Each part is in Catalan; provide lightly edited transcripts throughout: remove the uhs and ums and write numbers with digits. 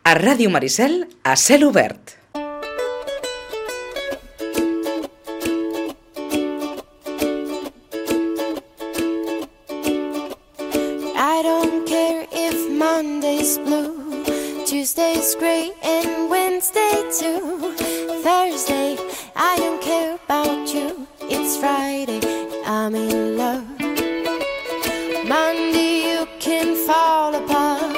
A Ràdio Maricel, a cel obert. I don't care if Monday's blue, Tuesday's gray and Wednesday too. Thursday, I don't care about you. It's Friday, I'm in love. Monday, you can fall apart.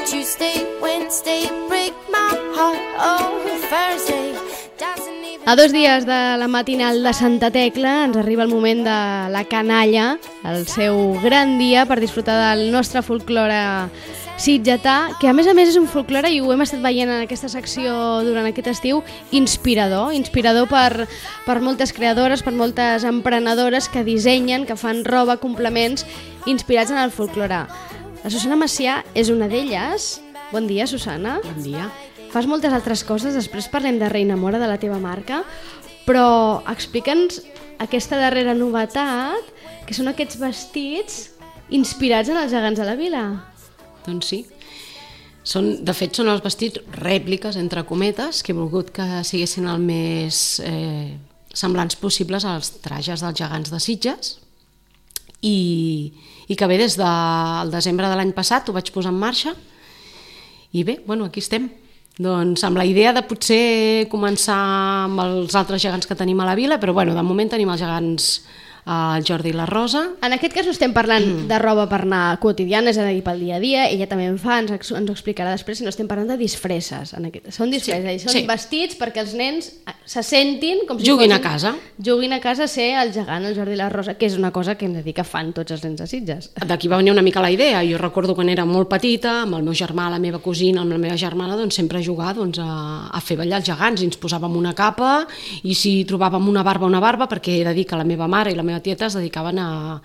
Tuesday, Wednesday, break my heart. Oh, Thursday doesn't even... A 2 dies de la matinal de Santa Tecla ens arriba el moment de la canalla, el seu gran dia per disfrutar del nostre folklore sitgetà, que a més és un folklore, i ho hem estat veient en aquesta secció durant aquest estiu, inspirador per moltes creadores, per moltes emprenedores que dissenyen, que fan roba, complements inspirats en el folklore. La Susana Macià és una d'elles. Bon dia, Susana. Bon dia. Fas moltes altres coses, després parlem de Reina Mora, de la teva marca, però explica'ns aquesta darrera novetat, que són aquests vestits inspirats en els gegants de la vila. Doncs sí. De fet, són els vestits rèpliques, entre cometes, que he volgut que siguessin el més semblants possibles als trajes dels gegants de Sitges, i que bé, des del desembre de l'any passat ho vaig posar en marxa, i bé, aquí estem. Doncs amb la idea de potser començar amb els altres gegants que tenim a la vila, però de moment tenim els gegants el Jordi i la Rosa. En aquest cas no estem parlant de roba per anar quotidiana, és a dir, pel dia a dia, ella també en fa, ens ho explicarà després, sinó estem parlant de disfresses. Són disfresses, són vestits perquè els nens se sentin com si juguin a casa a ser el gegant, el Jordi i la Rosa, que és una cosa que hem de dir que fan tots els nens de Sitges. D'aquí va venir una mica la idea. Jo recordo quan era molt petita, amb el meu germà, la meva cosina, amb la meva germana, sempre jugar a fer ballar els gegants, i ens posàvem una capa, i si trobàvem una barba, perquè he de dir que la meva mare i la meva tieta es dedicaven a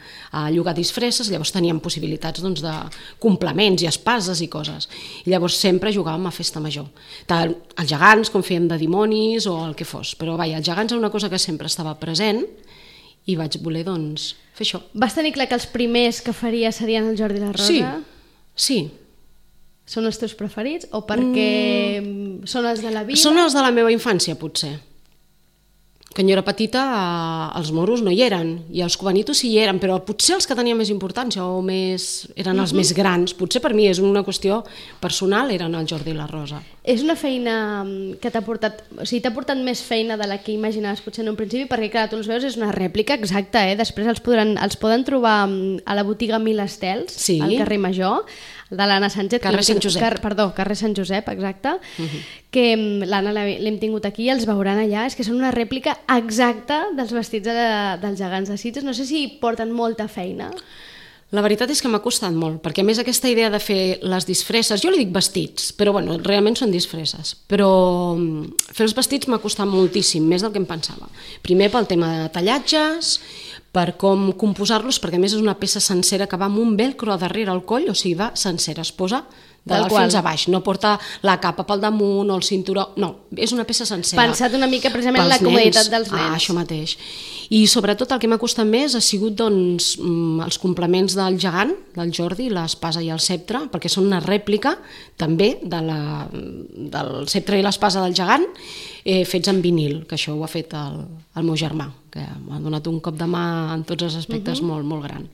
llogar disfresses, llavors teníem possibilitats de complements i espases i coses, i llavors sempre jugàvem a festa major, tant els gegants com fèiem de dimonis o el que fos, però els gegants és una cosa que sempre estava present, i vaig voler fer això. Vas tenir clar que els primers que faries serien el Jordi i la Rosa? Sí. Són els teus preferits o perquè són els de la vila? Són els de la meva infància, potser. Quan jo era petita, els moros no hi eren, i els cubanitos sí hi eren, però potser els que tenien més importància o eren els més grans. Potser per mi és una qüestió personal, eren el Jordi i la Rosa. És una feina que t'ha portat... O sigui, t'ha portat més feina de la que imaginaves potser en un principi, perquè clar, tu els veus, és una rèplica exacta, després els poden trobar a la botiga Mil Estels, al carrer Major, de l'Anna Sánchez. Carrer Sant Josep. Carrer Sant Josep, exacte, que l'Anna l'hem tingut aquí, els veuran allà, és que són una rèplica exacta dels vestits dels gegants de Sitges. No sé si porten molta feina. La veritat és que m'ha costat molt, perquè a més aquesta idea de fer les disfresses, jo li dic vestits, però realment són disfresses, però fer els vestits m'ha costat moltíssim, més del que em pensava. Primer pel tema de tallatges, per com composar-los, perquè a més és una peça sencera que va amb un velcro a darrere al coll, o sigui, va sencera, es posa de dalt fins a baix, no porta la capa pel damunt o el cinturó, no, és una peça sencera. Pensat una mica precisament en la comoditat dels nens. Això mateix. I sobretot el que m'ha costat més ha sigut els complements del gegant, del Jordi, l'espasa i el ceptre, perquè són una rèplica també del ceptre i l'espasa del gegant, fets en vinil, que això ho ha fet el meu germà, que m'ha donat un cop de mà en tots els aspectes molt, molt gran.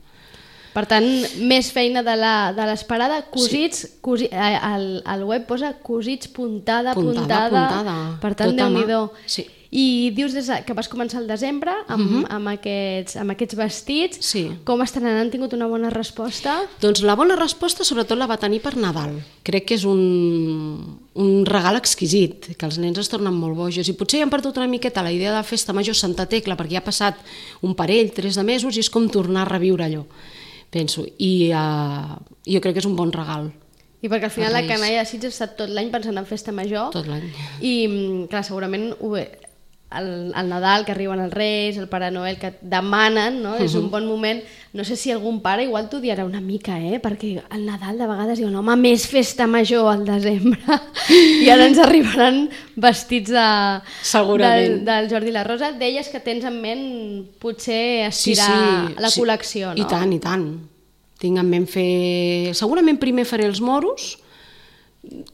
Per tant, més feina de l'esperada, cosits, al web posa cosits puntada. Per tant, Déu-n'hi-do. Sí. I dius que vas començar al desembre amb aquests vestits. Sí. Com estan anant? Han tingut una bona resposta? Doncs la bona resposta sobretot la va tenir per Nadal. Crec que és un regal exquisit, que els nens es tornen molt bojos, i potser ja han perdut una miqueta la idea de festa major Santa Tecla, perquè ja ha passat un parell, 3 de mesos, i és com tornar a reviure allò, penso. I jo crec que és un bon regal. I perquè al final la canalla de Sitges ha estat tot l'any pensant en festa major. Tot l'any. I clar, segurament el Nadal, que arriben els Reis, el Pare Noel, que demanen, no? És un bon moment. No sé si algun pare igual t'odiarà una mica, perquè al Nadal de vegades diuen home, més festa major al desembre, i ara ens arribaran vestits del Jordi i la Rosa. Deies que tens en ment potser estirar la col·lecció, no? I tant. Tinc en ment fer... Segurament primer faré els moros,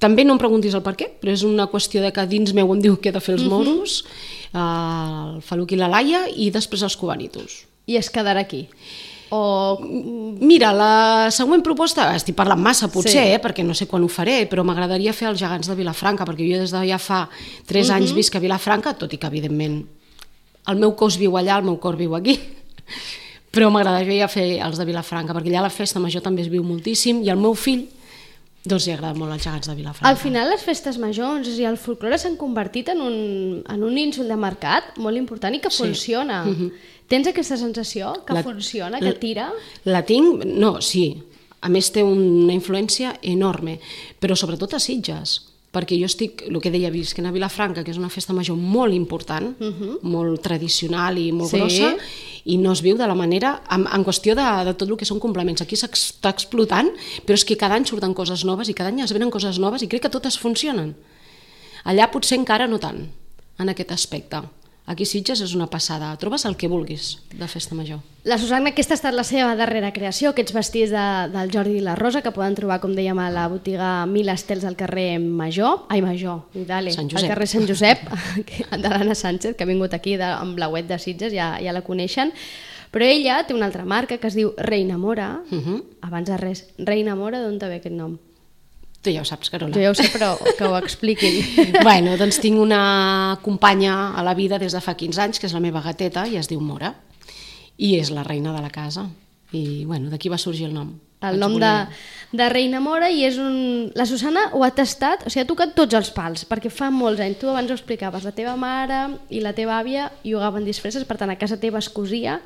També no em preguntis el per què, però és una qüestió de que dins meu em diu que he de fer els moros, el Faluc i la Laia, i després els cubanitos. I es quedarà aquí? O... Mira, la següent proposta, estic parlant massa potser, Sí. perquè no sé quan ho faré, però m'agradaria fer els gegants de Vilafranca, perquè jo des de ja fa 3 anys visc a Vilafranca, tot i que evidentment el meu cos viu allà, el meu cor viu aquí, però m'agradaria fer els de Vilafranca, perquè allà la festa major també es viu moltíssim, i al meu fill doncs li agrada molt els gegants de Vilafranca. Al final les festes majors i el folklore s'han convertit en un nínxol de mercat molt important i que funciona. Tens aquesta sensació que funciona, que tira? La tinc, no, sí. A més té una influència enorme, però sobretot a Sitges, perquè jo estic, el que deia, visquent a Vilafranca, que és una festa major molt important, molt tradicional i molt grossa, i no es viu de la manera, en qüestió de tot el que són complements. Aquí s'està explotant, però és que cada any surten coses noves i cada any es venen coses noves i crec que totes funcionen. Allà potser encara no tant, en aquest aspecte. Aquí Sitges és una passada, trobes el que vulguis de festa major. La Susanna, aquesta ha estat la seva darrera creació, aquests vestits del Jordi i la Rosa, que poden trobar, com dèiem, a la botiga Mil Estels al carrer Major, Sant Josep. al carrer Sant Josep, de l'Anna Sánchez, que ha vingut aquí amb la web de Sitges, ja la coneixen. Però ella té una altra marca que es diu Reina Mora. Abans de res, Reina Mora, d'on te ve aquest nom? Tu ja ho saps, Carola. Jo ja ho sé, però que ho expliquin. Bueno, doncs tinc una companya a la vida des de fa 15 anys, que és la meva gateta, i es diu Mora, i és la reina de la casa. I bueno, d'aquí va sorgir el nom. El nom de Reina Mora, i és la Susanna ho ha tastat, o sigui, ha tocat tots els pals, perquè fa molts anys, tu abans ho explicaves, la teva mare i la teva àvia jugaven disfresses, per tant a casa teva es cosia.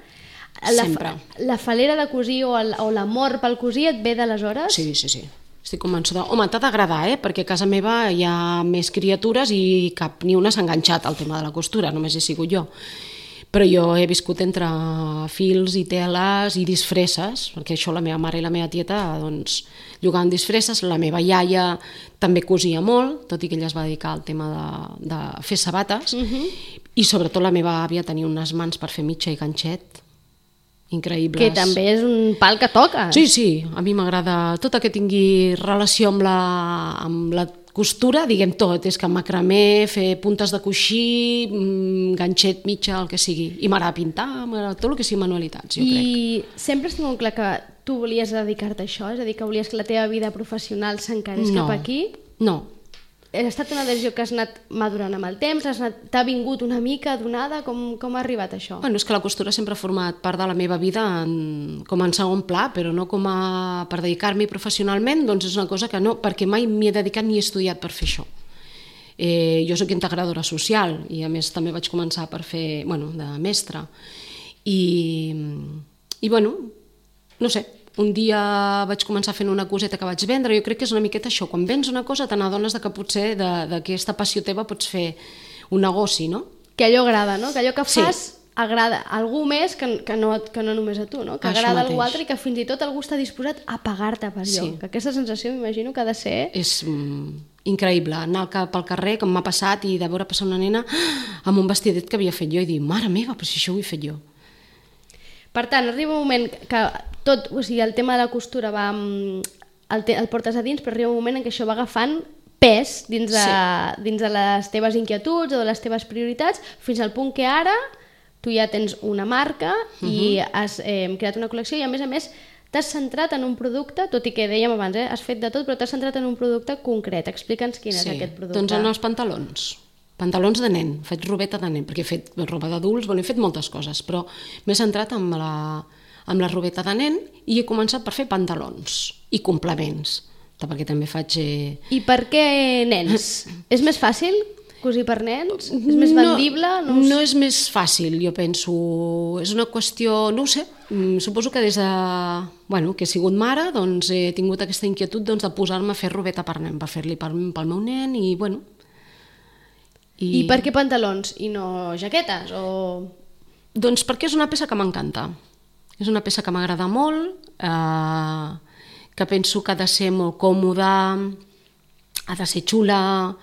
Sempre. La falera de cosir o l'amor pel cosir et ve d'aleshores? Sí. Estic convençuda. Home, t'ha d'agradar, perquè a casa meva hi ha més criatures i cap ni una s'ha enganxat al tema de la costura, només he sigut jo. Però jo he viscut entre fils i teles i disfresses, perquè això la meva mare i la meva tieta doncs, jugaven disfresses, la meva iaia també cosia molt, tot i que ella es va dedicar al tema de fer sabates, i sobretot la meva àvia tenia unes mans per fer mitja i ganxet increïbles. Que també és un pal que toca. Sí, a mi m'agrada tot el que tingui relació amb la costura, diguem tot, és que macramé, fer puntes de coixí, ganxet, mitja, el que sigui. I m'agrada pintar, m'agrada tot el que sigui manualitats, jo crec. I sempre has tingut clar que tu volies dedicar-te a això? És a dir, que volies que la teva vida professional s'encarés cap aquí? No. Ha estat una decisió que has anat madurant amb el temps? T'ha vingut una mica donada? Com ha arribat això? Bueno, és que la costura sempre ha format part de la meva vida com en segon pla, però no com per dedicar-m'hi professionalment, doncs és una cosa que no, perquè mai m'hi he dedicat ni he estudiat per fer això. Jo soc integradora social i a més també vaig començar per fer, de mestra. I bueno, no sé, un dia vaig començar fent una coseta que vaig vendre. Jo crec que és una miqueta això, quan vens una cosa te n'adones que potser d'aquesta passió teva pots fer un negoci, no? Que allò agrada, no? Que allò que fas agrada a algú més que no només a tu, no? Que agrada a algú altre i que fins i tot algú està disposat a pagar-te per allò. Que aquesta sensació m'imagino que ha de ser... És increïble, anar pel carrer, com m'ha passat, i de veure passar una nena amb un vestidet que havia fet jo i dir, mare meva, però si això ho he fet jo. Per tant, arriba un moment que tot, o sigui, el tema de la costura el portes a dins, però arriba un moment en què això va agafant pes dins de les teves inquietuds o de les teves prioritats, fins al punt que ara tu ja tens una marca i has creat una col·lecció i a més t'has centrat en un producte, tot i que dèiem abans, has fet de tot, però t'has centrat en un producte concret. Explica'ns quin és aquest producte. Doncs en els pantalons de nen, faig robeta de nen, perquè he fet roba d'adults, he fet moltes coses, però m'he centrat amb la robeta de nen i he començat per fer pantalons i complements, perquè també faig... I per què nens? És més fàcil cosir per nens? És més vendible? No és més fàcil, jo penso. És una qüestió, no ho sé, suposo que des de... que he sigut mare, doncs he tingut aquesta inquietud de posar-me a fer robeta per nen, per fer-li pel meu nen i bueno... I per què pantalons i no jaquetes? Doncs perquè és una peça que m'encanta. És una peça que m'agrada molt, que penso que ha de ser molt còmoda, ha de ser xula.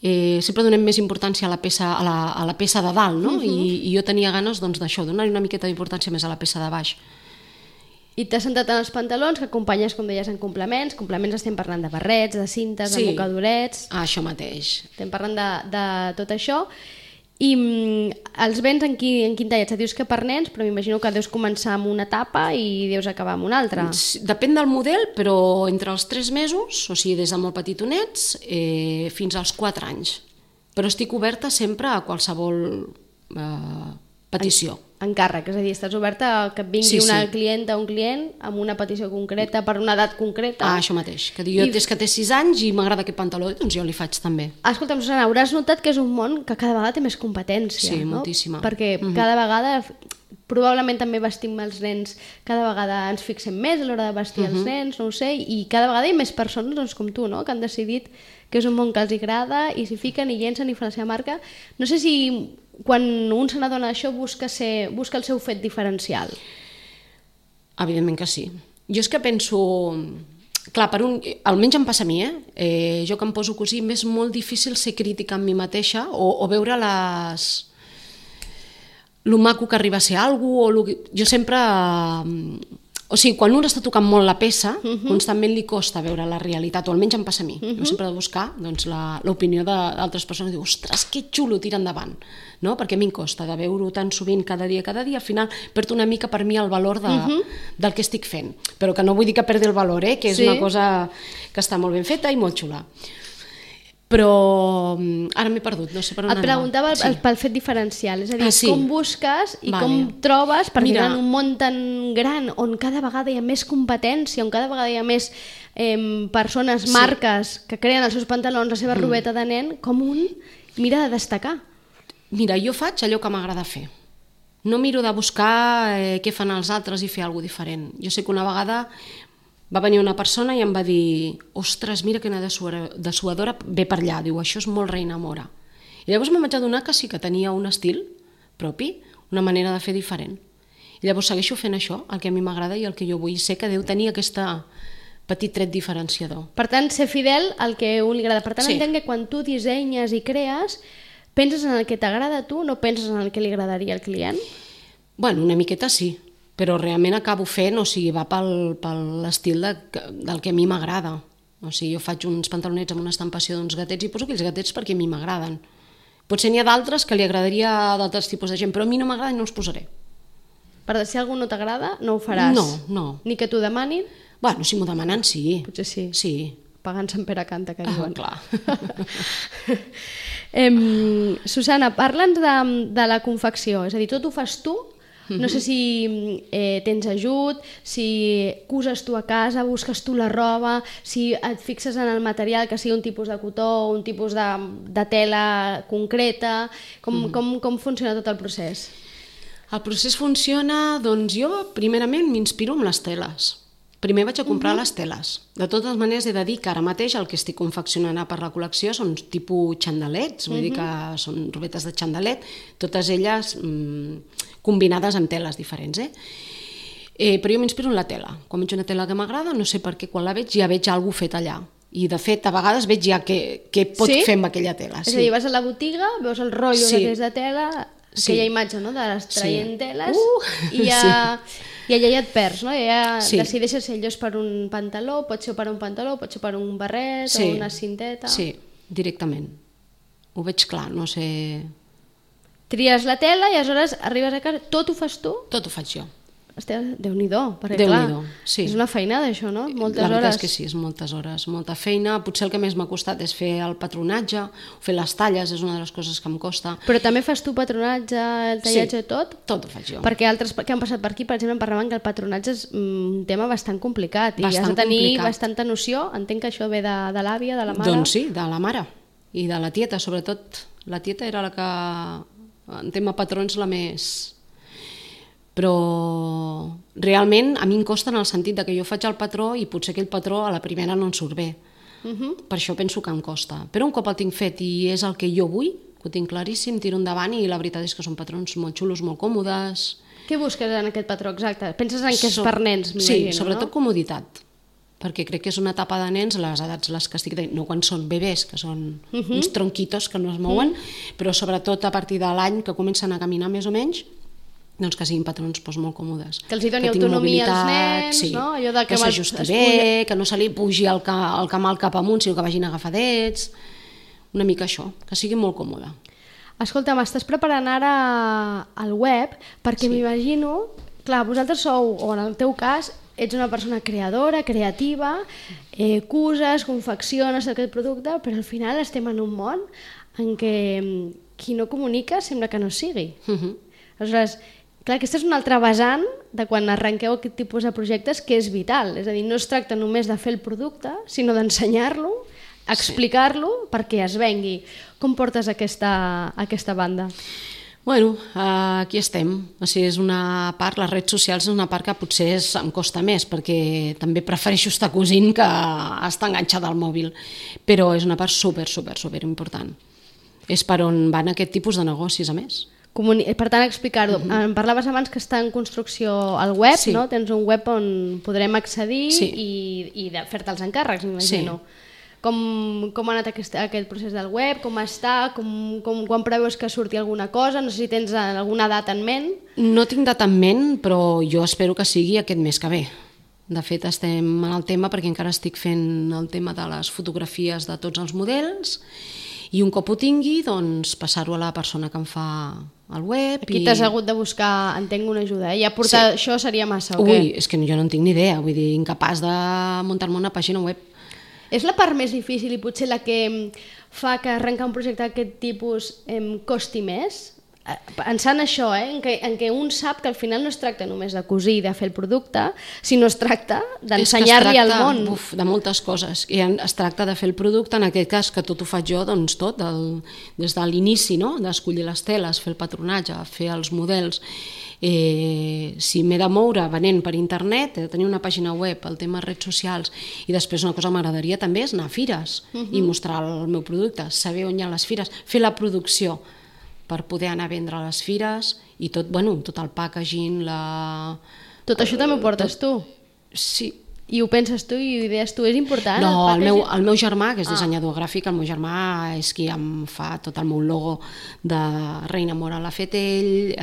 Sempre donem més importància a la peça de dalt, no? I jo tenia ganes d'això, donar-hi una miqueta d'importància més a la peça de baix. I t'has centrat en els pantalons, que acompanyes, com deies, en complements. Complements estem parlant de barrets, de cintes, de mocadorets... Això mateix. Estem parlant de tot això. I els vens en quin tallat? Dius que per nens, però m'imagino que deus començar amb una etapa i deus acabar amb una altra. Depèn del model, però entre els 3 mesos, o sigui, des de molt petitonets, fins als 4 anys. Però estic oberta sempre a qualsevol petició. Encàrrec, és a dir, estàs oberta a que et vingui una clienta o un client amb una petició concreta per una edat concreta. Això mateix, que jo des que té 6 anys i m'agrada aquest pantaló, doncs jo li faig també. Escolta'm, Susana, hauràs notat que és un món que cada vegada té més competència, sí, no? Moltíssima. Perquè cada vegada, probablement també vestim els nens, cada vegada ens fixem més a l'hora de vestir els nens, no ho sé, i cada vegada hi ha més persones doncs, com tu, no?, que han decidit que és un món que els agrada i s'hi fiquen i llencen i fan la seva marca. No sé si quan un se n'adona d'això busca el seu fet diferencial. Evidentment que sí. Jo és que penso... Clar, almenys em passa a mi, jo que em poso a cosir, m'és molt difícil ser crítica amb mi mateixa o veure lo maco que arriba a ser alguna cosa. Jo sempre... O sigui, quan un està tocant molt la peça, constantment li costa veure la realitat, o almenys em passa a mi. Jo sempre he de buscar doncs, l'opinió d'altres persones i dir, ostres, que xulo, tira endavant. No? Perquè a mi em costa de veure-ho tan sovint cada dia, al final perd una mica per mi el valor del que estic fent. Però que no vull dir que perdi el valor, que és una cosa que està molt ben feta i molt xula. Però ara m'he perdut, no sé per on anava. Et preguntava pel fet diferencial, és a dir, com busques i com trobes, perquè en un món tan gran on cada vegada hi ha més competència, on cada vegada hi ha més persones, marques que creen els seus pantalons, la seva robeta de nen, com un mira de destacar. Mira, jo faig allò que m'agrada fer. No miro de buscar què fan els altres i fer alguna cosa diferent. Jo sé que una vegada va venir una persona i em va dir, ostres, mira quina dessuadora ve per allà, diu, això és molt Reina Mora. I llavors me'n vaig adonar que sí que tenia un estil propi, una manera de fer diferent. I llavors segueixo fent això, el que a mi m'agrada i el que jo vull. Sé que deu tenir aquest petit tret diferenciador. Per tant, ser fidel al que a un li agrada. Per tant, entenc que quan tu dissenyes i crees, penses en el que t'agrada a tu, no penses en el que li agradaria al client? Bueno, una miqueta sí. Però realment acabo fent, o sigui, va per l'estil del que a mi m'agrada. O sigui, jo faig uns pantalonets amb una estampació d'uns gatets i poso aquells gatets perquè a mi m'agraden. Potser n'hi ha d'altres que li agradaria a d'altres tipus de gent, però a mi no m'agrada i no els posaré. Per si algú no t'agrada, no ho faràs? No. Ni que t'ho demanin? Bueno, si m'ho demanen, sí. Potser sí. Sí. Pagant Sant Pere canta, que diuen. Clar. Susana, parla'ns de la confecció, és a dir, tot ho fas tu? No sé si tens ajut, si coses tu a casa, busques tu la roba, si et fixes en el material, que sigui un tipus de cotó, un tipus de tela concreta, com funciona tot el procés? El procés funciona, doncs jo primerament m'inspiro amb les teles. Primer vaig a comprar les teles. De totes maneres he de dir que ara mateix el que estic confeccionant per la col·lecció són tipus xandalets, vull dir que són robetes de xandalet, totes elles combinades amb teles diferents. Però jo m'inspiro en la tela. Quan veig una tela que m'agrada, no sé per què, quan la veig ja veig alguna cosa fet allà. I de fet, a vegades veig ja què pot fer amb aquella tela. És a dir, vas a la botiga, veus el rotllo de tela, aquella imatge de les traient teles, i allà ja et perds, no? Ja decideixes si allò és per un pantaló, pot ser per un pantaló, pot ser per un barret o una cinteta. Sí, directament. Ho veig clar, no sé... Tries la tela i aleshores arribes a casa, tot ho fas tu? Tot ho faig jo. Déu-n'hi-do, perquè clar, és una feinada això, no? Moltes hores. La veritat és que sí, és moltes hores, molta feina. Potser el que més m'ha costat és fer el patronatge, fer les talles, és una de les coses que em costa. Però també fas tu patronatge, el tallatge i tot? Tot ho faig jo. Perquè altres que han passat per aquí, per exemple, em parlaven que el patronatge és un tema bastant complicat i has de tenir bastanta noció. Entenc que això ve de l'àvia, de la mare? Doncs sí, de la mare i de la tieta, sobretot. La tieta era la que, en tema patrons, la més... Però realment a mi em costa en el sentit que jo faig el patró i potser aquell patró a la primera no en surt bé. Per això penso que em costa. Però un cop el tinc fet i és el que jo vull, que ho tinc claríssim, tiro endavant i la veritat és que són patrons molt xulos, molt còmodes. Què busques en aquest patró exacte? Penses en que és per nens? Sí, sobretot comoditat. Perquè crec que és una etapa de nens, les edats les que estic dient, no quan són bebès, que són uns tronquitos que no es mouen, però sobretot a partir de l'any que comencen a caminar més o menys, doncs que siguin patrons molt còmodes. Que els hi doni tinguin autonomia als mobilitat, nens, sí, no? Allò de que s'ajusti bé, que no se li pugi el camal cap amunt, sinó que vagin agafadets, una mica això, que sigui molt còmode. Escolta, m'estàs preparant ara el web perquè m'imagino, clar, vosaltres sou, o en el teu cas, ets una persona creadora, creativa, cuses, confecciones aquest producte, però al final estem en un món en què qui no comunica sembla que no sigui. Aleshores, clar, aquesta és una altra vessant de quan arrenqueu aquest tipus de projectes que és vital, és a dir, no es tracta només de fer el producte, sinó d'ensenyar-lo, explicar-lo perquè es vengui. Com portes aquesta banda? Bueno, aquí estem. O sigui, és una part, les redes socials és una part que potser em costa més, perquè també prefereixo estar cosint que estar enganxada al mòbil, però és una part super important. És per on van aquest tipus de negocis, a més. Per tant, explicar-ho. Em parlaves abans que està en construcció el web, Sí. no? Tens un web on podrem accedir Sí. i fer-te els encàrrecs, m'imagino. Com ha anat aquest procés del web? Com està? Quan preveus que surti alguna cosa? No sé si tens alguna data en ment. No tinc data en ment, però jo espero que sigui aquest mes que ve. De fet, estem en el tema perquè encara estic fent el tema de les fotografies de tots els models i un cop ho tingui, doncs passar-ho a la persona que em fa el web. Aquí t'has hagut de buscar, entenc, una ajuda. Ja portar això seria massa, o què? Ui, és que jo no en tinc ni idea, vull dir, incapaç de muntar-me una pàgina web. És la part més difícil i potser la que fa que arrencar un projecte d'aquest tipus costi més? Pensant això, en què un sap que al final no es tracta només de cosir i de fer el producte, sinó es tracta d'ensenyar-li al món. De moltes coses. I es tracta de fer el producte, en aquest cas que tot ho faig jo, doncs tot, des de l'inici, no? D'escollir les teles, fer el patronatge, fer els models. Si m'he de moure venent per internet, he de tenir una pàgina web, el tema redes socials, i després una cosa que m'agradaria també és anar a fires i mostrar el meu producte, saber on hi ha les fires, fer la producció per poder anar a vendre a les fires i tot, tot el packaging, Tot això també ho portes tu? Sí. I ho penses tu i ho idees tu, és important? No, el meu germà, que és dissenyador gràfic, el meu germà és qui em fa tot el meu logo de Reina Mora, l'ha fet ell,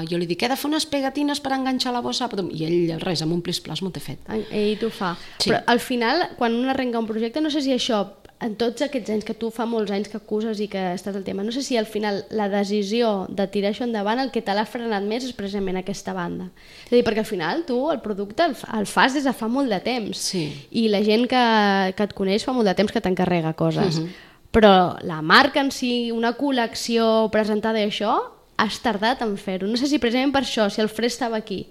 jo li dic, he de fer unes pegatines per enganxar la bossa, i ell, res, amb un plis-plas m'ho té fet. Ell t'ho fa. Sí. Però al final, quan un arrenca un projecte, no sé si això, en tots aquests anys que tu fa molts anys que acuses i que estàs al tema, no sé si al final la decisió de tirar això endavant el que te l'ha frenat més és precisament aquesta banda. És a dir, perquè al final tu el producte el fas des de fa molt de temps, Sí. i la gent que et coneix fa molt de temps que t'encarrega coses. Però la marca en si, una col·lecció presentada i això, has tardat en fer-ho. No sé si precisament per això, si el fre estava aquí.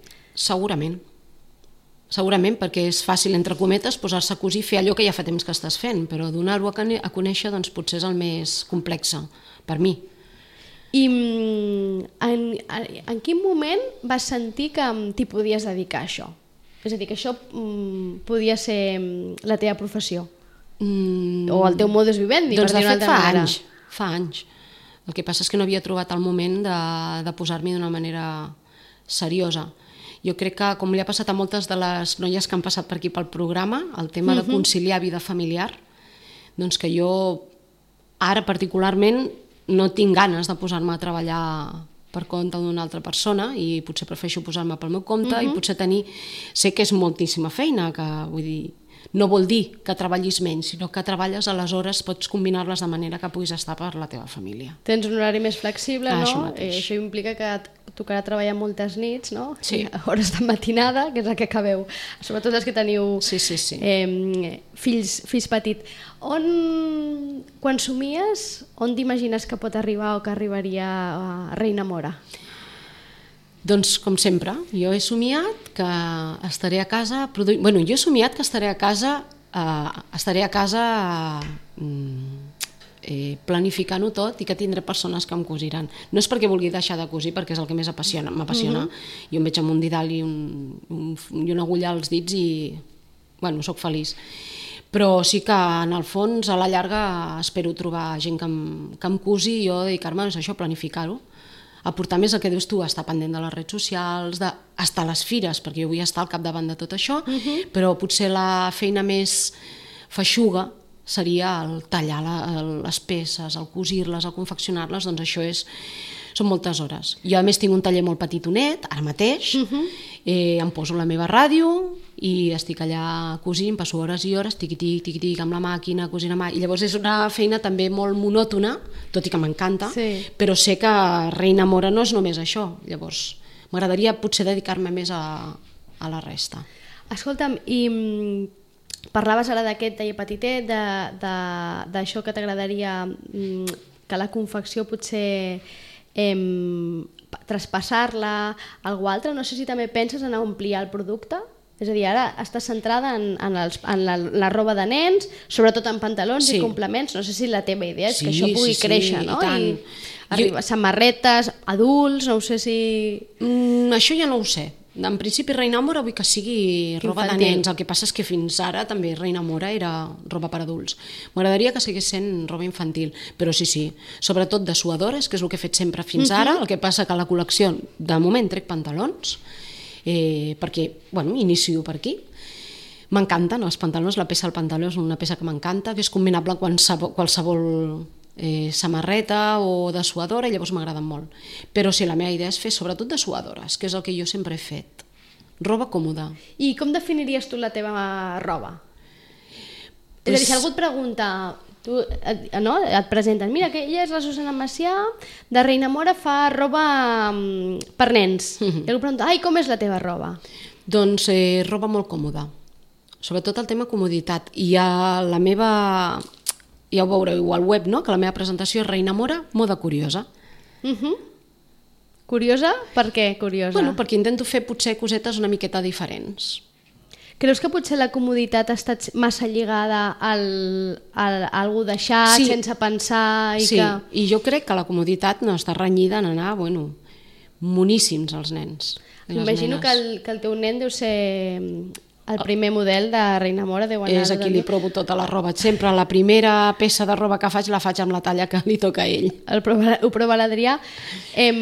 Segurament, perquè és fàcil, entre cometes, posar-se a cosir i fer allò que ja fa temps que estàs fent, però donar-ho a conèixer doncs, potser és el més complex per mi. I en quin moment vas sentir que t'hi podies dedicar a això? És a dir, que això podia ser la teva professió? O el teu modus vivendi, doncs per dir-ho d'una altra manera? Fa anys. El que passa és que no havia trobat el moment de posar-m'hi d'una manera seriosa. Jo crec que, com li ha passat a moltes de les noies que han passat per aquí pel programa, el tema de conciliar vida familiar, doncs que jo ara particularment no tinc ganes de posar-me a treballar per compte d'una altra persona i potser prefereixo posar-me pel meu compte i potser sé que és moltíssima feina, que vull dir, no vol dir que treballis menys, sinó que treballes, aleshores pots combinar-les de manera que puguis estar per la teva família. Tens un horari més flexible, no? Això mateix. Això implica que et tocarà treballar moltes nits, no? Sí. Hores de matinada, que és el que acabeu. Sobretot els que teniu fills petits. Quan somies, on t'imagines que pot arribar o que arribaria a Reina Mora? Doncs, com sempre, jo he somiat que estaré a casa... Bueno, jo he somiat que estaré a casa planificant-ho tot i que tindré persones que em cosiran. No és perquè vulgui deixar de cosir, perquè és el que més m'apassiona. Jo em veig amb un didal i una agulla als dits i, bueno, sóc feliç. Però sí que, en el fons, a la llarga espero trobar gent que em cosi i jo dedicar-me a això, planificar-ho. Aportar més el que dius tu, estar pendent de les redes socials, estar a les fires, perquè jo vull estar al capdavant de tot això, però potser la feina més feixuga seria el tallar les peces, el cosir-les, el confeccionar-les, doncs això és són moltes hores. Jo a més tinc un taller molt petitonet, ara mateix, em poso la meva ràdio i estic allà cosint, passo hores i hores, tiqui-tic, amb la màquina, cosint a mà, i llavors és una feina també molt monòtona, tot i que m'encanta, però sé que Reina Mora no és només això, llavors m'agradaria potser dedicar-me més a la resta. Escolta'm, i parlaves ara d'aquest taller petitet, d'això que t'agradaria, que la confecció potser traspassar-la, algú altre. No sé si també penses en ampliar el producte? És a dir, ara estàs centrada en la roba de nens, sobretot en pantalons i complements. No sé si la teva idea és que això pugui créixer, no? I arribar samarretes, adults, no ho sé si... Això ja no ho sé. En principi Reina Mora vull que sigui roba de nens, el que passa és que fins ara també Reina Mora era roba per adults. M'agradaria que seguís sent roba infantil, però sí, sobretot de suadores, que és el que he fet sempre fins ara, el que passa que a la col·lecció de moment trec pantalons, perquè, inicio per aquí. M'encanten els pantalons, la peça del pantaló és una peça que m'encanta, que és combinable amb qualsevol samarreta o de suadora, i llavors m'agraden molt. Però sí, la meva idea és fer sobretot de suadores, que és el que jo sempre he fet. Roba còmoda. I com definiries tu la teva roba? És a dir, si algú et pregunta, tu, et presenten, mira, que ella és la Susana Macià, de Reina Mora fa roba per nens. I algú pregunta, com és la teva roba? Doncs roba molt còmoda. Sobretot el tema comoditat. I a la meva... Ja ho veureu al web, no? Que la meva presentació és Reina Mora, moda curiosa. Curiosa? Per què curiosa? Perquè intento fer potser cosetes una miqueta diferents. Creus que potser la comoditat ha estat massa lligada a algú deixat, sense pensar? Sí, i jo crec que la comoditat no està renyida en anar, moníssims els nens. M'imagino que el teu nen deu ser... El primer model de Reina Mora deu anar... És a qui li provo tota la roba. Sempre la primera peça de roba que faig la faig amb la talla que li toca a ell. Ho prova l'Adrià.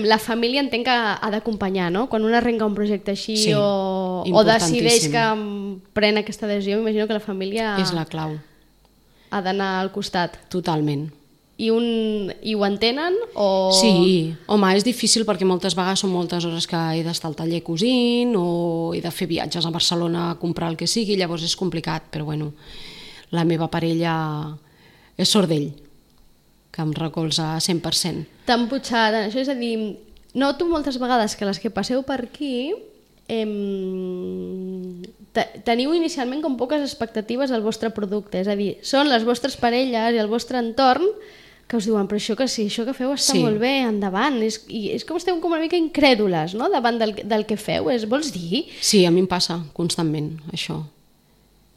La família entenc que ha d'acompanyar, no? Quan un arrenca un projecte així o decideix que pren aquesta decisió, m'imagino que la família... És la clau. Ha d'anar al costat. Totalment. I ho entenen? Sí, home, és difícil perquè moltes vegades són moltes hores que he d'estar al taller cosint o he de fer viatges a Barcelona a comprar el que sigui, llavors és complicat, però la meva parella és sort d'ell, que em recolza 100%. Tan putxat, això és a dir, noto moltes vegades que les que passeu per aquí teniu inicialment com poques expectatives al vostre producte, és a dir, són les vostres parelles i el vostre entorn que us diuen, però això que feu està molt bé, endavant, i és com esteu com una mica incrèdules, no?, davant del que feu, vols dir? Sí, a mi em passa constantment, això.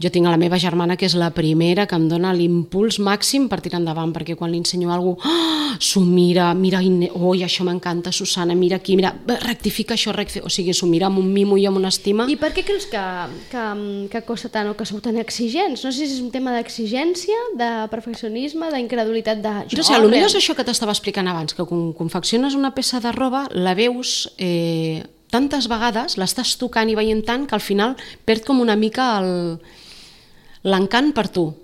Jo tinc a la meva germana, que és la primera que em dona l'impuls màxim per tirar endavant, perquè quan li ensenyo alguna cosa, s'ho mira, oi, això m'encanta, Susana, mira aquí, mira, rectifica això, o sigui, s'ho mira amb un mimo i amb una estima. I per què creus que costa tant o que sou tan exigents? No sé si és un tema d'exigència, de perfeccionisme, d'incredulitat de... No sé, potser és això que t'estava explicant abans, que quan confecciones una peça de roba, la veus tantes vegades, l'estàs tocant i veient tant, que al final perd com una mica l'encant per tu.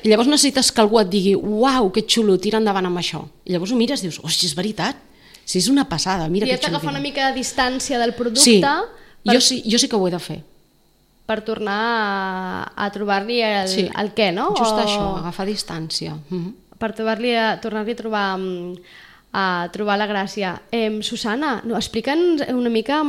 Llavors necessites que algú et digui uau, que xulo, tira endavant amb això. I llavors ho mires i dius, hosti, és veritat, si és una passada, mira que xulo. I has d'agafar una mica de distància del producte. Sí, jo sí que ho he de fer. Per tornar a trobar-li el què, no? Just això, agafar distància. Per tornar-li a trobar la gràcia. Susana, explica'ns una mica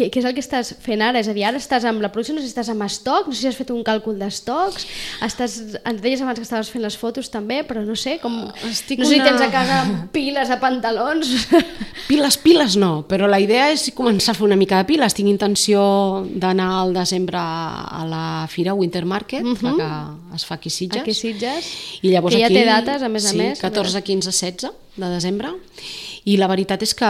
què és el que estàs fent ara? És a dir, ara estàs amb la producció, no sé si estàs amb estoc, no sé si has fet un càlcul d'estocs, ens deies abans que estaves fent les fotos també, però no sé, no sé si tens a casa piles de pantalons. Piles no, però la idea és començar a fer una mica de piles. Tinc intenció d'anar al desembre a la Fira Winter Market, que es fa aquí a Sitges. Aquí a Sitges, que ja té dates, a més a més. Sí, 14, 15, 16 de desembre. I la veritat és que,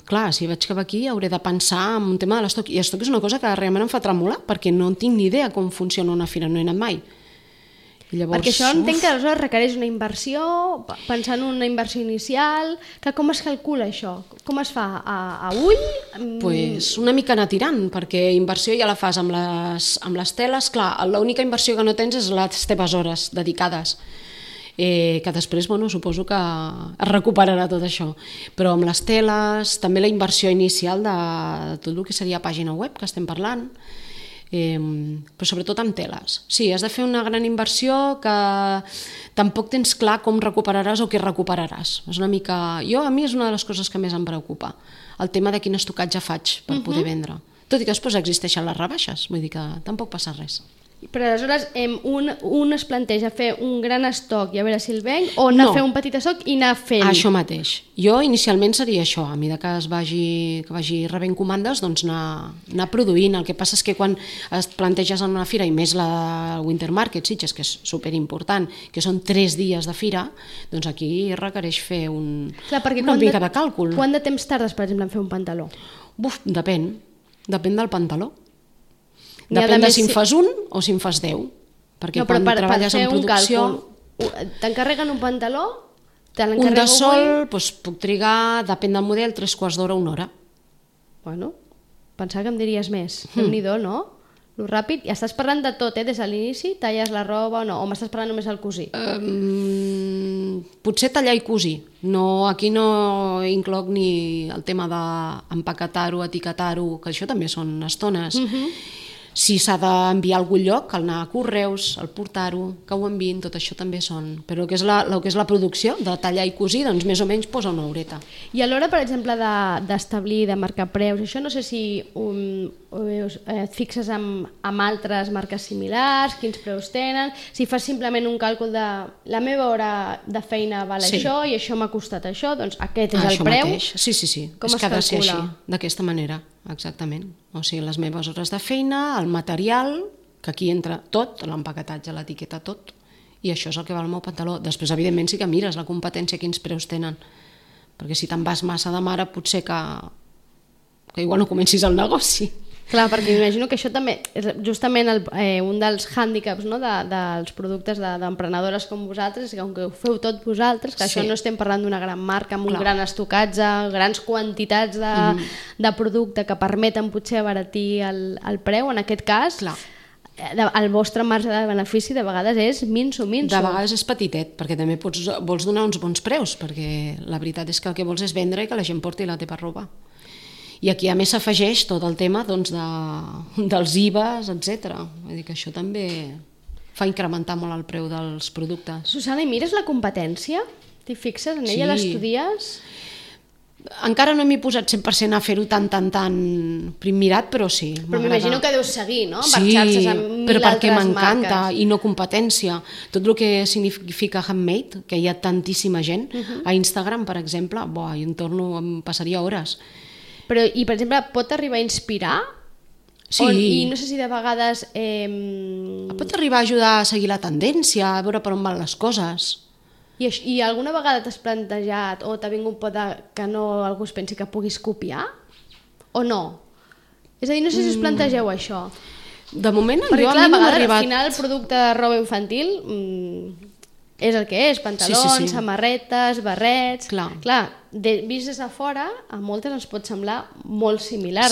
clar, si vaig cap aquí hauré de pensar en un tema de l'estoc. I l'estoc és una cosa que realment em fa tremolar, perquè no tinc ni idea com funciona una fira, no he anat mai. Llavors, perquè això entenc que aleshores requereix una inversió, pensar en una inversió inicial, que com es calcula això? Com es fa? A ull? Pues una mica anar tirant, perquè inversió ja la fas amb les teles. Clar, l'única inversió que no tens és les teves hores dedicades. que després suposo que es recuperarà tot això. Però amb les teles, també la inversió inicial de tot el que seria pàgina web que estem parlant, però sobretot amb teles. Sí, has de fer una gran inversió que tampoc tens clar com recuperaràs o què recuperaràs. És una mica... A mi és una de les coses que més em preocupa, el tema de quin estocatge faig per poder vendre. Tot i que després existeixen les rebaixes, vull dir que tampoc passa res. Però aleshores un es planteja fer un gran estoc i a veure si el venc, o anar a fer un petit estoc i anar fent? Això mateix. Jo inicialment seria això, a mesura que vagi rebent comandes, doncs anar produint. El que passa és que quan et planteges en una fira, i més la del Winter Market, Sitges, que és superimportant, que són 3 dies de fira, doncs aquí requereix fer una mica de càlcul. Quant de temps tardes, per exemple, en fer un pantaló? Depèn del pantaló. Depèn de si en fas un o si en fas 10. Perquè quan treballes en producció... T'encarreguen un pantaló? Un de sol, puc trigar, depèn del model, 3/4 d'hora, 1 hora. Bueno, pensava que em diries més. Déu-n'hi-do, no? Lo ràpid. I estàs parlant de tot, des de l'inici? Talles la roba o no? O m'estàs parlant només del cosir? Potser tallar i cosir. Aquí no incloc ni el tema d'empaquetar-ho, etiquetar-ho, que això també són estones. Si s'ha d'enviar a algun lloc, cal anar a correus, el portar-ho, que ho enviïn, tot això també són. Però el que és la producció, de tallar i cosir, doncs més o menys posa una horeta. I a l'hora, per exemple, d'establir, de marcar preus, això no sé si et fixes amb altres marques similars, quins preus tenen, si fas simplement un càlcul de la meva hora de feina val això i això m'ha costat això, doncs aquest és el preu. Mateix. Sí. Com es calcula? Ha de ser així, d'aquesta manera. Exactament, o sigui, les meves hores de feina, el material, que aquí entra tot, l'empaquetatge, l'etiqueta, tot, i això és el que val el meu pantaló. Després, evidentment, sí que mires la competència, quins preus tenen, perquè si te'n vas massa de mare potser que igual no comencis el negoci. Clar, perquè m'imagino que això també és justament un dels hàndicaps, no, dels productes d'emprenedores com vosaltres, que com que ho feu tot vosaltres, que això no estem parlant d'una gran marca amb un gran estocatge, grans quantitats de producte que permeten potser abaratir el preu, en aquest cas el vostre marge de benefici de vegades és minso. De vegades és petitet, perquè també vols donar uns bons preus, perquè la veritat és que el que vols és vendre i que la gent porti la teva roba. I aquí a més s'afegeix tot el tema dels IVAs, etc. Vull dir que això també fa incrementar molt el preu dels productes. Susana, i mires la competència? T'hi fixes en ella, l'estudies? Encara no m'he posat 100% a fer-ho tan mirat, però sí. Però m'imagino que deus seguir, no? Sí, però perquè m'encanta, i no competència. Tot el que significa handmade, que hi ha tantíssima gent, a Instagram, per exemple, em passaria hores. Però, i per exemple, pot arribar a inspirar? Sí. I no sé si de vegades... Pot arribar a ajudar a seguir la tendència, a veure per on van les coses. I alguna vegada t'has plantejat o t'ha vingut por que algú es pensi que puguis copiar? O no? És a dir, no sé si us plantegeu això. De moment, perquè, clar, a mi no m'ha arribat... Al final el producte de roba infantil és el que és, pantalons, samarretes, barrets... Clar, vist des de fora, a moltes ens pot semblar molt similar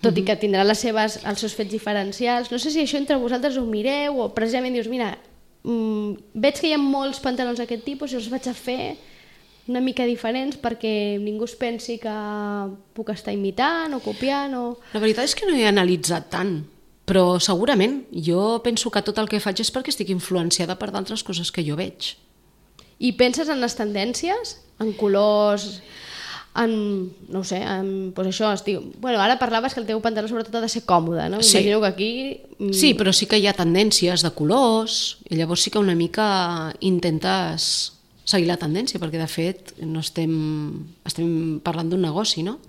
tot i que tindrà els seus fets diferencials. No sé si això entre vosaltres ho mireu o precisament dius, mira, veig que hi ha molts pantalons d'aquest tipus i els vaig a fer una mica diferents perquè ningú es pensi que puc estar imitant o copiant o... La veritat és que no he analitzat tant, però segurament jo penso que tot el que faig és perquè estic influenciada per d'altres coses que jo veig. I penses en les tendències? En colors? No ho sé, doncs això, ara parlaves que el teu pantaló sobretot ha de ser còmode, no? M'imagino que aquí... Sí, però sí que hi ha tendències de colors, i llavors sí que una mica intentes seguir la tendència, perquè de fet no estem parlant d'un negoci, no?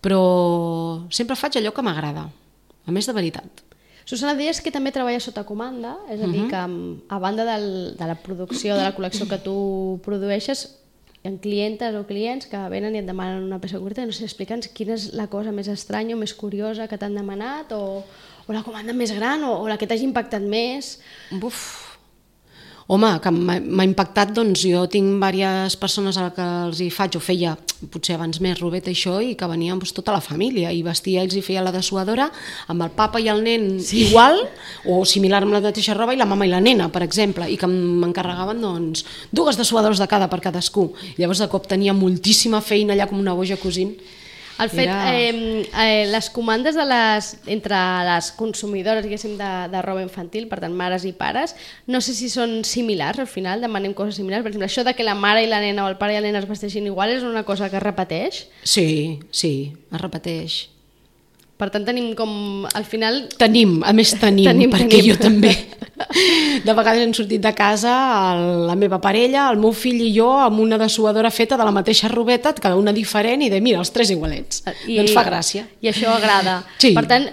Però sempre faig allò que m'agrada, a més de veritat. Susana, deies que també treballes sota comanda, és a dir, que a banda de la producció de la col·lecció que tu produeixes, hi ha clientes o clients que venen i et demanen una peça concreta. No sé, explica'ns quina és la cosa més estranya o més curiosa que t'han demanat, o la comanda més gran, o la que t'hagi impactat més. Home, que m'ha impactat, doncs jo tinc diverses persones a les que els hi faig, o feia potser abans més robeta i això, i que venien doncs, tota la família, i vestia, ells hi feia la dessuadora amb el papa i el nen igual, o similar amb la mateixa roba, i la mama i la nena, per exemple, i que m'encarregaven doncs, 2 dessuadores de cada per cadascú. Llavors de cop tenia moltíssima feina allà com una boja cosint. El fet, les comandes entre les consumidores, diguéssim, de roba infantil, per tant, mares i pares, no sé si són similars, al final demanem coses similars. Per exemple, això de que la mare i la nena o el pare i la nena es vesteixin igual és una cosa que es repeteix? Sí, es repeteix. Per tant, tenim com, al final... Tenim, perquè jo també. De vegades hem sortit de casa la meva parella, el meu fill i jo amb una dessuadora feta de la mateixa robeta, cada una diferent, i de mira, els 3 igualets. Doncs fa gràcia. I això agrada. Sí. Per tant,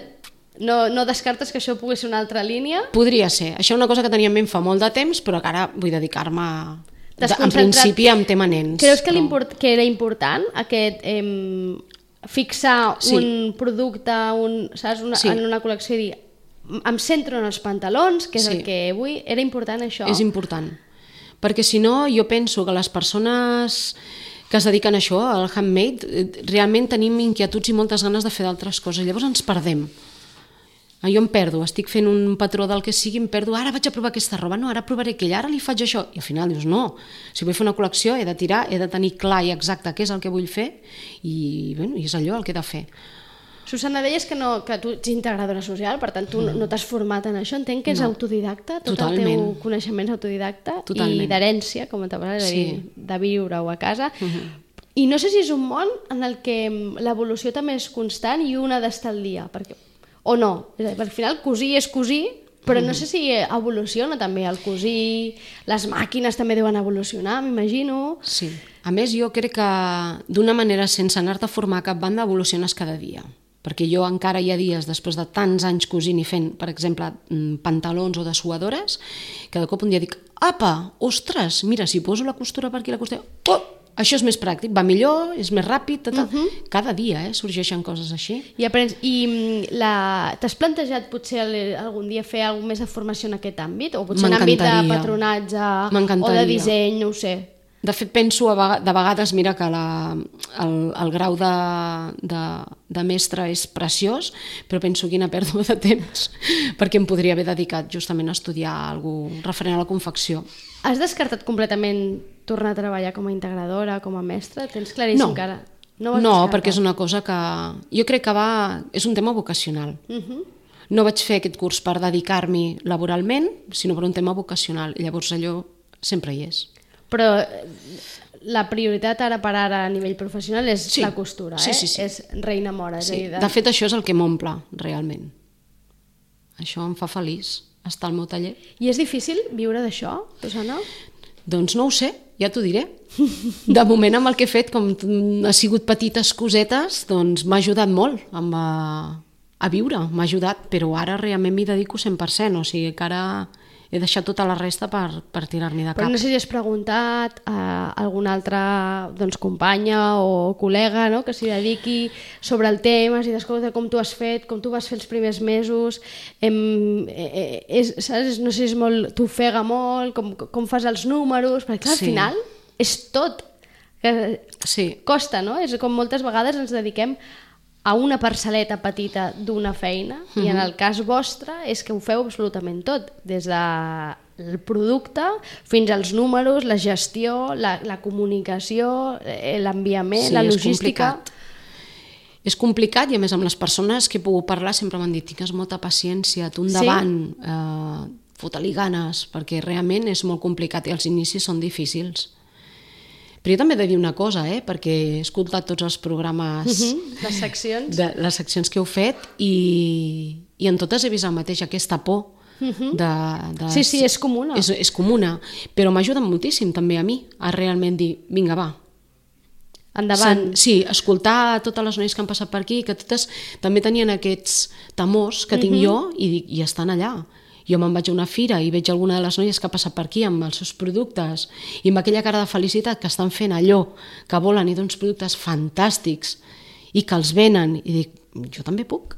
no descartes que això pugui ser una altra línia? Podria ser. Això és una cosa que tenia en ment fa molt de temps, però que ara vull dedicar-me... En principi em tema nens. Creus que era important aquest... fixar un producte en una col·lecció i dir em centro en els pantalons, que és el que vull, era important això? És important, perquè si no jo penso que les persones que es dediquen a això, al handmade, realment tenim inquietuds i moltes ganes de fer d'altres coses, llavors ens perdem. Jo em perdo, estic fent un patró del que sigui, em perdo, ara vaig a provar aquesta roba, no, ara provaré aquella, ara li faig això, i al final dius no, si vull fer una col·lecció he de tirar, he de tenir clar i exacte què és el que vull fer i és allò el que he de fer. Susana, deies que tu ets integradora social, per tant tu no t'has format en això, entenc que és autodidacta, tot el teu coneixement és autodidacta i d'herència, com te parles, de viure-ho a casa. I no sé si és un món en el que l'evolució també és constant i un ha d'estar al dia, o no, al final cosir és cosir, però no sé si evoluciona també el cosir, les màquines també deuen evolucionar, m'imagino. Sí, a més jo crec que d'una manera sense anar-te a formar cap banda evoluciones cada dia, perquè jo encara hi ha dies després de tants anys cosint i fent, per exemple, pantalons o dessuadores, que de cop un dia dic, apa, ostres, mira, si poso la costura per aquí, la costura... Oh! Això és més pràctic, va millor, és més ràpid, cada dia sorgeixen coses així. I t'has plantejat potser algun dia fer alguna més de formació en aquest àmbit? O potser en àmbit de patronatge o de disseny, no ho sé. De fet, penso de vegades, mira, que el grau de mestre és preciós, però penso quina pèrdua de temps, perquè em podria haver dedicat justament a estudiar alguna cosa referent a la confecció. Has descartat completament tornar a treballar com a integradora, com a mestra? Tens claríssim que ara... No, perquè és una cosa que... Jo crec que és un tema vocacional. No vaig fer aquest curs per dedicar-m'hi laboralment, sinó per un tema vocacional, i llavors allò sempre hi és. Però la prioritat ara per ara a nivell professional és la costura, sí. És reina mora. De fet, això és el que m'omple, realment. Això em fa feliç, estar al meu taller. I és difícil viure d'això, Susana? Doncs no ho sé, ja t'ho diré. De moment amb el que he fet, com ha sigut petites cosetes, doncs m'ha ajudat molt a viure, m'ha ajudat, però ara realment m'hi dedico 100%, o sigui que ara he deixat tota la resta per tirar-m'hi de cap. Però no sé si has preguntat a alguna altra companya o col·lega que s'hi dediqui sobre el tema, si t'escolta com tu has fet, com tu vas fer els primers mesos, saps? No sé si és molt, t'ofega molt, com fas els números, perquè clar, al final és tot. Costa, no? És com moltes vegades ens dediquem a una parcel·leta petita d'una feina i en el cas vostre és que ho feu absolutament tot, des del producte fins als números, la gestió, la comunicació, l'enviament, la logística. És complicat i a més amb les persones que he pogut parlar sempre m'han dit tingues molta paciència, tu endavant, fota-li ganes, perquè realment és molt complicat i els inicis són difícils. Però jo també he de dir una cosa, perquè he escoltat tots els programes, les seccions que heu fet i en totes he vist el mateix, aquesta por. Sí, és comuna. És comuna, però m'ha ajudat moltíssim també a mi a realment dir, vinga, va. Endavant. Sí, escoltar totes les noies que han passat per aquí, que totes també tenien aquests temors que tinc jo i estan allà. Jo me'n vaig a una fira i veig alguna de les noies que ha passat per aquí amb els seus productes i amb aquella cara de felicitat que estan fent allò que volen i d'uns productes fantàstics i que els venen i dic, jo també puc.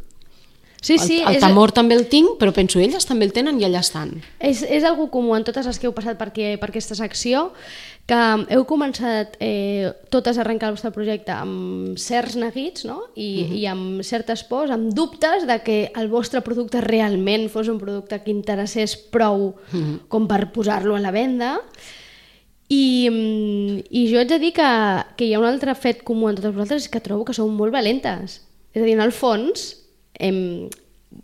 Sí, sí, el temor també el tinc, però penso, elles també el tenen i allà estan. És algo comú en totes les que heu passat per aquesta secció, que heu començat totes a arrencar el vostre projecte amb certs neguits, no? I amb certes pors, amb dubtes de que el vostre producte realment fos un producte que interessés prou com per posar-lo a la venda. I jo haig de dir que hi ha un altre fet comú en totes vosaltres, és que trobo que sou molt valentes. És a dir, en el fons,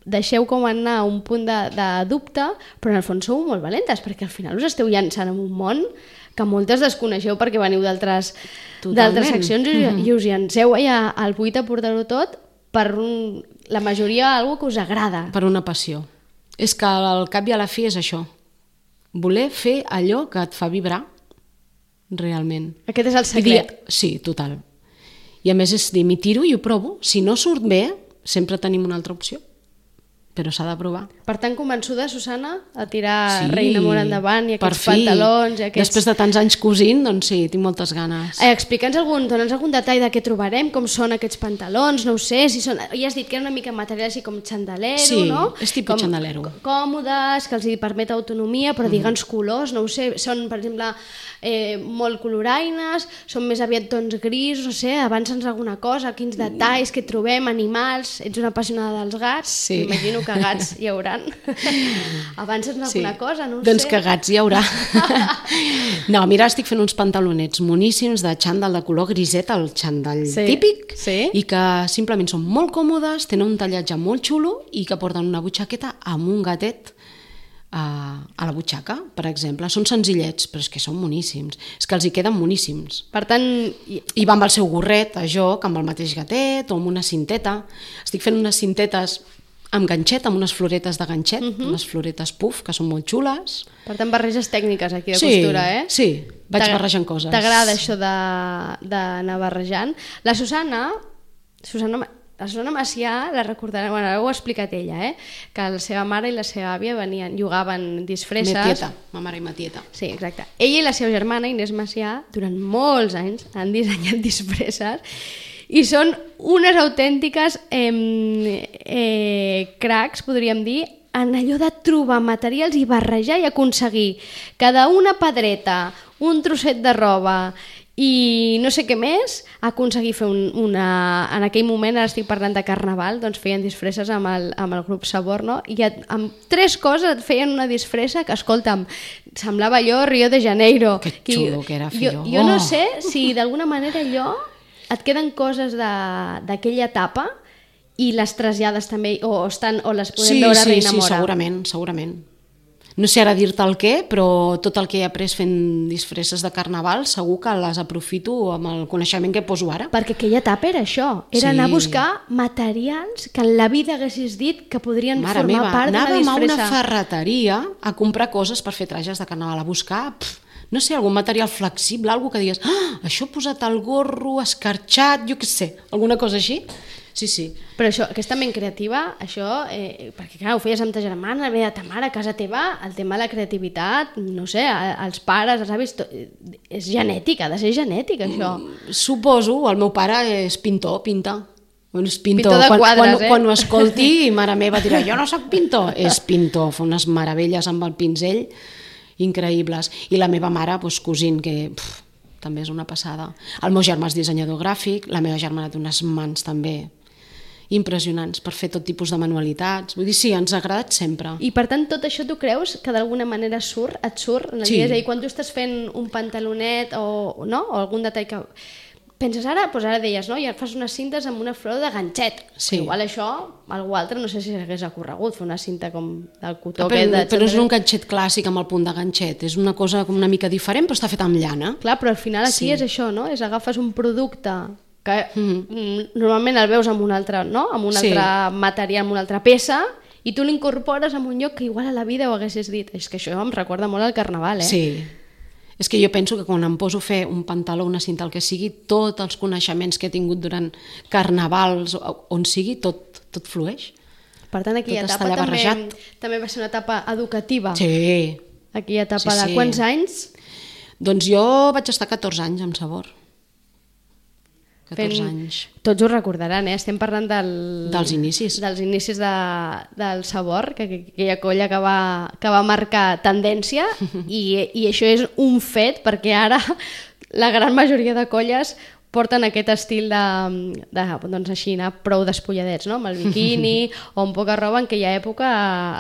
deixeu com anar un punt de dubte, però en el fons sou molt valentes, perquè al final us esteu llançant en un món que moltes desconeixeu perquè veniu d'altres seccions i us llanceu allà al buit a portar-ho tot per la majoria algo que us agrada. Per una passió. És que al cap i a la fi és això. Voler fer allò que et fa vibrar realment. Aquest és el secret. Sí, total. I a més és dir, m'hi tiro i ho provo. Si no surt bé, sempre tenim una altra opció, però s'ha de provar. Per tant, convençuda, Susana, a tirar Reina Mora endavant i aquests per fi. pantalons... I aquests... Després de tants anys cosint, doncs sí, tinc moltes ganes. Explica'ns dona'ns algun detall de què trobarem, com són aquests pantalons, no ho sé, si són... Ja has dit que era una mica material així com xandalero, no? Sí, és tipus xandalero. Còmodes, que els hi permet autonomia, però digue'ns colors, no ho sé, són, per exemple, molt coloraines, són més aviat tons gris, no sé, avança'ns alguna cosa, quins detalls que trobem, animals, ets una apassionada dels gats, m'imagino que gats hi hauran. Avança'ns alguna cosa, no ho sé. Doncs que gats hi haurà. No, mira, estic fent uns pantalonets moníssims de xandall de color griset, el xandall típic, i que simplement són molt còmodes, tenen un tallatge molt xulo i que porten una butxaqueta amb un gatet a la butxaca, per exemple. Són senzillets, però és que són moníssims. És que els hi queden moníssims. Per tant... I va amb el seu gorret a joc, amb el mateix gatet o amb una cinteta. Estic fent unes cintetes amb ganxet, amb unes floretes de ganxet, unes floretes puff, que són molt xules. Per tant, barreges tècniques aquí de costura, eh? Sí, vaig barrejant coses. T'agrada això d'anar barrejant? La Susana Macià, la recordarà, bueno, ara ho ha explicat ella, que la seva mare i la seva àvia llogaven disfresses. Metieta, ma mare i ma tieta. Sí, exacte. Ella i la seva germana, Inés Macià, durant molts anys han dissenyat disfresses i són unes autèntiques cracs, podríem dir, en allò de trobar materials i barrejar i aconseguir cada una pedreta, un trosset de roba i no sé què més, aconseguir fer en aquell moment, ara estic parlant de Carnaval, doncs feien disfresses amb el grup Sabor, no? I amb 3 coses et feien una disfressa que, escolta'm, semblava allò Rio de Janeiro. Que xulo que era fer jo no sé si d'alguna manera allò et queden coses d'aquella etapa i les trasllades també, o les podem veure a Reina Mora. Sí, segurament. No sé ara dir-te el què, però tot el que he après fent disfresses de Carnaval segur que les aprofito amb el coneixement que poso ara. Perquè aquella etapa era això, era anar a buscar materials que en la vida haguessis dit que podrien formar part d'una disfressa. Anàvem a una ferreteria a comprar coses per fer trajes de Carnaval, a buscar, no sé, algun material flexible, algo que digues, això posat al gorro, escarxat, jo què sé, alguna cosa així. Sí. Però això, aquesta ment creativa, això, perquè clar, ho feies amb ta germana, ve de ta mare, a casa teva, el tema de la creativitat, no sé, els pares, els avis, és genètic, ha de ser genètic, això. Suposo, el meu pare és pintor, pinta. És pintor de quadres, quan ho escolti, mare meva dirà, jo no soc pintor. És pintor, fa unes meravelles amb el pinzell increïbles. I la meva mare, cosint, que també és una passada. El meu germà és dissenyador gràfic, la meva germana té unes mans també impressionants per fer tot tipus de manualitats. Vull dir, sí, ens ha agradat sempre. I per tant, tot això tu creus que d'alguna manera et surt en el dia? És a dir, quan tu estàs fent un pantalonet o algun detall que... Penses ara, doncs ara deies, no? Ja fas unes cintes amb una flor de ganxet. Sí. Igual això, algú altre, no sé si s'hagués ocorregut fer una cinta com del cotó. Però és un ganxet clàssic amb el punt de ganxet. És una cosa com una mica diferent, però està feta amb llana. Clar, però al final aquí és això, no? És agafes un producte que normalment el veus amb un altre, no? Amb un altre material, amb una altra peça, i tu l'incorpores en un lloc que igual a la vida ho haguessis dit. És que això em recorda molt al Carnaval, eh? Sí. És que jo penso que quan em poso a fer un pantaló, una cinta, el que sigui, tots els coneixements que he tingut durant carnavals, on sigui, tot flueix. Per tant, aquella etapa també va ser una etapa educativa. Sí. Aquella etapa de quants anys? Doncs jo vaig estar 14 anys amb Sabor. 14 anys. Tots ho recordaran, estem parlant dels inicis. Dels inicis del Sabor, aquella colla que va marcar tendència i això és un fet perquè ara la gran majoria de colles porten aquest estil doncs així, anar prou despulladets, no? Amb el biquini o amb poca roba. En aquella època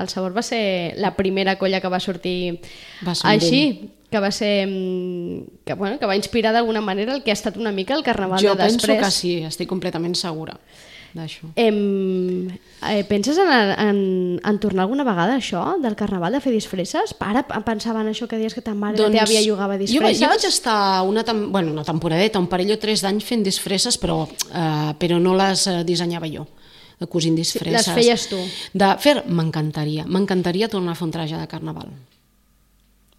el Sabor va ser la primera colla que va sortir així, que va ser que va inspirar d'alguna manera el que ha estat una mica el carnaval de després. Jo penso que sí, estic completament segura d'això. Penses en tornar alguna vegada a això del carnaval, de fer disfresses? Ara pensava en això que deies que ta mare te havia jugava disfresses. Jo vaig estar una temporadeta, un parell o 3 d'anys fent disfresses, però no les dissenyava jo, de cosint disfresses. Les feies tu? M'encantaria tornar a fer un traje de carnaval.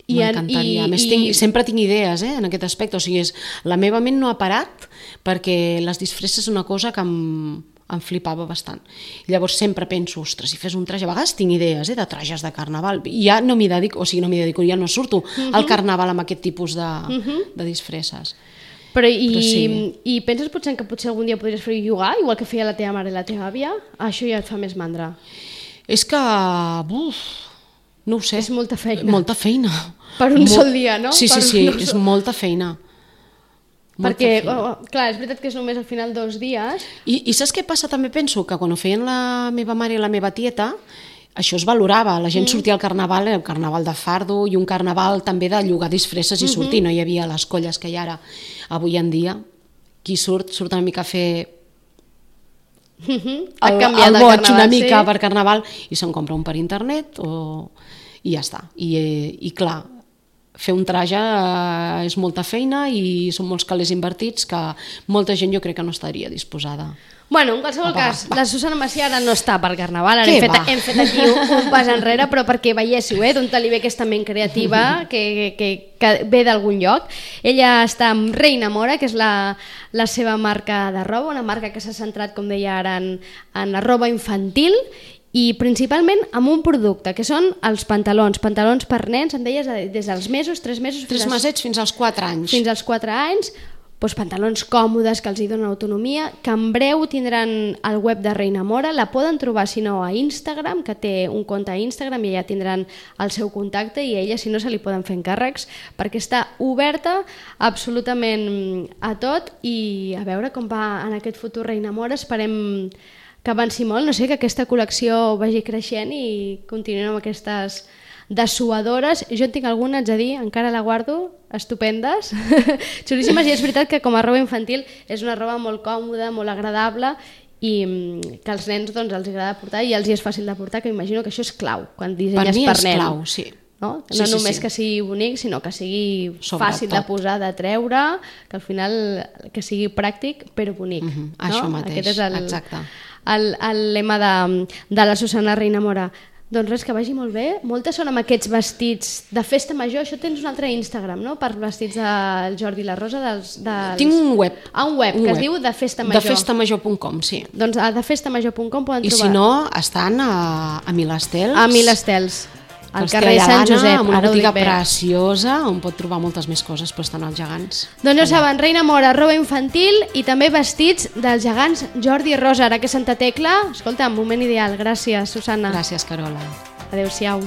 M'encantaria. A més, sempre tinc idees en aquest aspecte. O sigui, la meva ment no ha parat perquè les disfresses és una cosa que em flipava bastant. Llavors sempre penso, ostres, si fes un traje, a vegades tinc idees de trajes de carnaval, i ja no m'hi dedico, ja no surto al carnaval amb aquest tipus de disfresses. Però i penses potser que algun dia podries fer jugar, igual que feia la teva mare i la teva àvia? Això ja et fa més mandra. És que... no ho sé. És molta feina. Molta feina. Per un sol dia, no? Sí, és molta feina. Perquè, clar, és veritat que és només al final 2 dies. I saps què passa? També penso que quan ho feien la meva mare i la meva tieta, això es valorava. La gent sortia al carnaval, el carnaval de fardo i un carnaval també de llogar disfresses i sortir. No hi havia les colles que hi ha ara. Avui en dia, qui surt una mica a fer... el boig una mica per carnaval i se'n compra un per internet i ja està. I clar, fer un traje és molta feina i són molts calés invertits que molta gent jo crec que no estaria disposada. Bueno, en qualsevol cas, la Susana Macià ara no està per carnaval, ara hem fet aquí un pas enrere, però perquè veiéssiu d'on li ve aquesta ment creativa que ve d'algun lloc. Ella està amb Reina Mora, que és la seva marca de roba, una marca que s'ha centrat, com deia ara, en la roba infantil i principalment amb un producte, que són els pantalons per nens, em deies, des dels mesos, 3 mesos... 3 mesets fins als 4 anys. Fins als 4 anys, doncs pantalons còmodes que els hi donen autonomia, que en breu tindran el web de Reina Mora, la poden trobar, si no, a Instagram, que té un compte a Instagram i allà tindran el seu contacte i a ella, si no, se li poden fer encàrrecs, perquè està oberta absolutament a tot i a veure com va en aquest futur Reina Mora. Esperem que avanci molt, no sé, que aquesta col·lecció vagi creixent i continuem amb aquestes dessuadores. Jo en tinc alguna, haig de dir, encara la guardo, estupendes, xulíssimes, i és veritat que com a roba infantil és una roba molt còmoda, molt agradable i que als nens doncs, els agrada portar i els hi és fàcil de portar, que imagino que això és clau quan dissenyes per nen. Per mi és clau, sí. No només que sigui bonic, sinó que sigui fàcil de posar, de treure, que al final que sigui pràctic però bonic. Això mateix, aquest és exacte. El lema de la Susana Reina Mora. Doncs res, que vagi molt bé. Moltes són amb aquests vestits de festa major. Això tens un altre Instagram, no?, per vestits del Jordi i la Rosa. Tinc un web. Un web que es diu defestamajor. Defestamajor.com, sí. Doncs a defestamajor.com poden trobar. I si no, estan a Milestels. A Milestels. Al carrer Sant Josep, amb una botiga preciosa on pot trobar moltes més coses, però estan els gegants. Doncs ja saben, Reina Mora, roba infantil i també vestits dels gegants Jordi i Rosa, ara que Santa Tecla. Escolta, moment ideal. Gràcies, Susana. Gràcies, Carola. Adéu-siau.